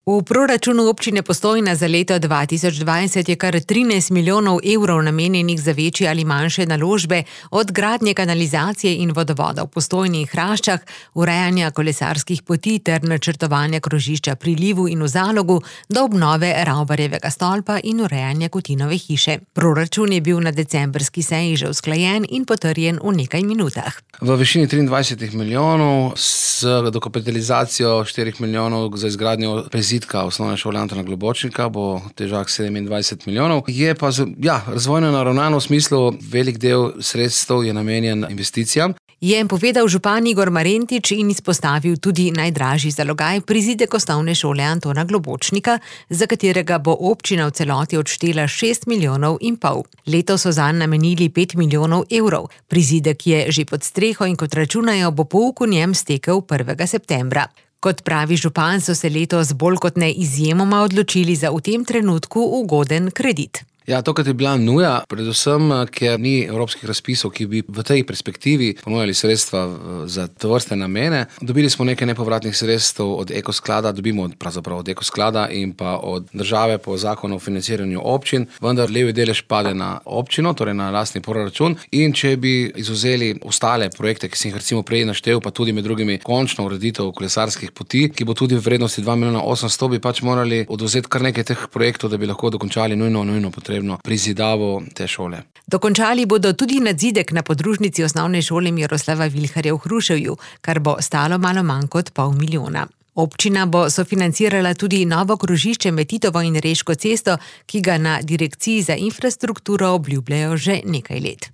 V proračunu občine Postojna za leto 2020 je kar 13 milijonov evrov namenjenih za večje ali manjše naložbe, od gradnje kanalizacije in vodovoda v Postojni in Hraščah, urejanja kolesarskih poti ter načrtovanja krožišča pri Livu in v Zalogu, do obnove Ravbarjevega stolpa in urejanja Kutinove hiše. Proračun je bil na decembrski seji že usklajen in potrjen v nekaj minutah. V višini 23 milijonov s dokapitalizacijo 4 milijonov za izgradnjo prezidka osnovne šole Antona Globočnika bo težak 27 milijonov. Je pa razvojno naravnano v smislu, velik del sredstev je namenjen investicijam. Je povedal župan Igor Marentič in izpostavil tudi najdražji zalogaj prizidek osnovne šole Antona Globočnika, za katerega bo občina v celoti odštela 6,5 milijonov. Letos so zanj namenili 5 milijonov evrov. Prizidek je že pod streho in kot računajo, bo pouk v njem stekel 1. septembra. Kot pravi župan, so se letos bolj kot ne izjemoma odločili za v tem trenutku ugoden kredit. Ja, tokrat je bila nuja, predvsem, ker ni evropskih razpisov, ki bi v tej perspektivi ponujali sredstva za tovrstne namene. Dobili smo nekaj nepovratnih sredstev od Ekosklada, dobimo pravzaprav od Ekosklada in pa od države po zakonu o financiranju občin, vendar levi delež pade na občino, torej na lastni proračun, in če bi izvzeli ostale projekte, ki sem jih recimo prej naštel, pa tudi med drugimi končno ureditev kolesarskih poti, ki bo tudi v vrednosti 2 milijona 800, bi pač morali odvzeti kar nekaj teh projektov, da bi lahko dokončali nujno potrebno prizidavo te šole. Dokončali bodo tudi nadzidek na podružnici osnovne šole Miroslava Vilharja v Hruševju, kar bo stalo malo manj kot 0,5 milijona. Občina bo sofinancirala tudi novo krožišče med Titovo in Reško cesto, ki ga na Direkciji za infrastrukturo obljubljajo že nekaj let.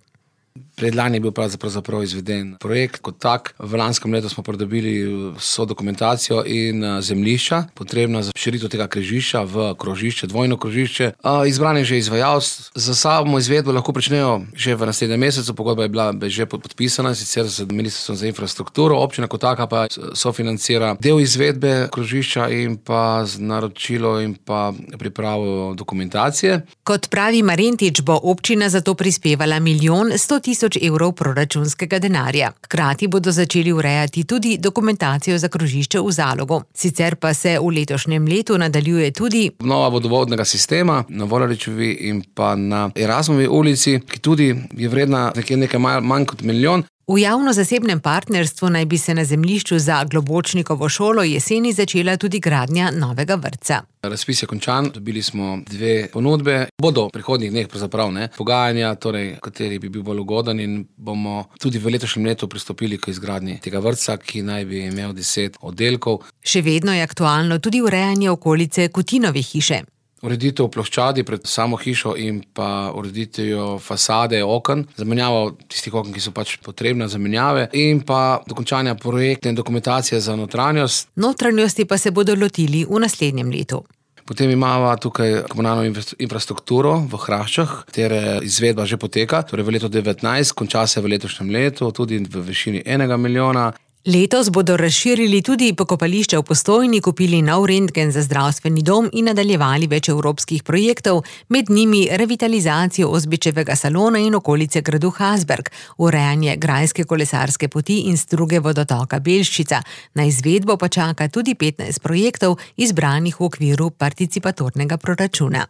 Predlani je bil pravzaprav izveden projekt kot tak. V lanskem letu smo pridobili vso dokumentacijo in zemljišča, potrebna za širitev tega križišča v krožišče, dvojno krožišče. Izbran je že izvajalec. Za samo izvedbo lahko pričnejo že v naslednjem mesecu, pogodba je bila že podpisana, sicer z Ministrstvom za infrastrukturo, občina kot taka pa sofinancira del izvedbe krožišča in pa z naročilo in pa pripravo dokumentacije. Kot pravi Marentič, bo občina za to prispevala 1.100.000 evrov proračunskega denarja. Hkrati bodo začeli urejati tudi dokumentacijo za krožišče v Zalogu. Sicer pa se v letošnjem letu nadaljuje tudi obnova vodovodnega sistema na Volaričevi in pa na Erasmovi ulici, ki tudi je vredna nekaj manj kot 1 milijon. V javno-zasebnem partnerstvu naj bi se na zemljišču za Globočnikovo šolo jeseni začela tudi gradnja novega vrtca. Razpis je končan, dobili smo 2 ponudbe. Bodo v prihodnjih dneh pogajanja, torej kateri bi bil bolj ugoden, in bomo tudi v letošnjem letu pristopili k izgradnji tega vrtca, ki naj bi imel 10 oddelkov. Še vedno je aktualno tudi urejanje okolice Kutinove hiše. Ureditev ploščadi pred samo hišo in pa ureditev fasade oken, zamenjavo tistih oken, ki so pač potrebne zamenjave, in pa dokončanja projektne dokumentacije za notranjost. Notranjosti pa se bodo lotili v naslednjem letu. Potem imamo tukaj komunalno infrastrukturo v Hraščah, katere izvedba že poteka, torej v letu 2019, konča se v letošnjem letu, tudi v višini 1 milijona. Letos bodo razširili tudi pokopališče v Postojni, kupili nov rentgen za zdravstveni dom in nadaljevali več evropskih projektov, med njimi revitalizacijo Ozbičevega salona in okolice gradu Hasberg, urejanje grajske kolesarske poti in struge vodotoka Belščica. Na izvedbo pa čaka tudi 15 projektov, izbranih v okviru participatornega proračuna.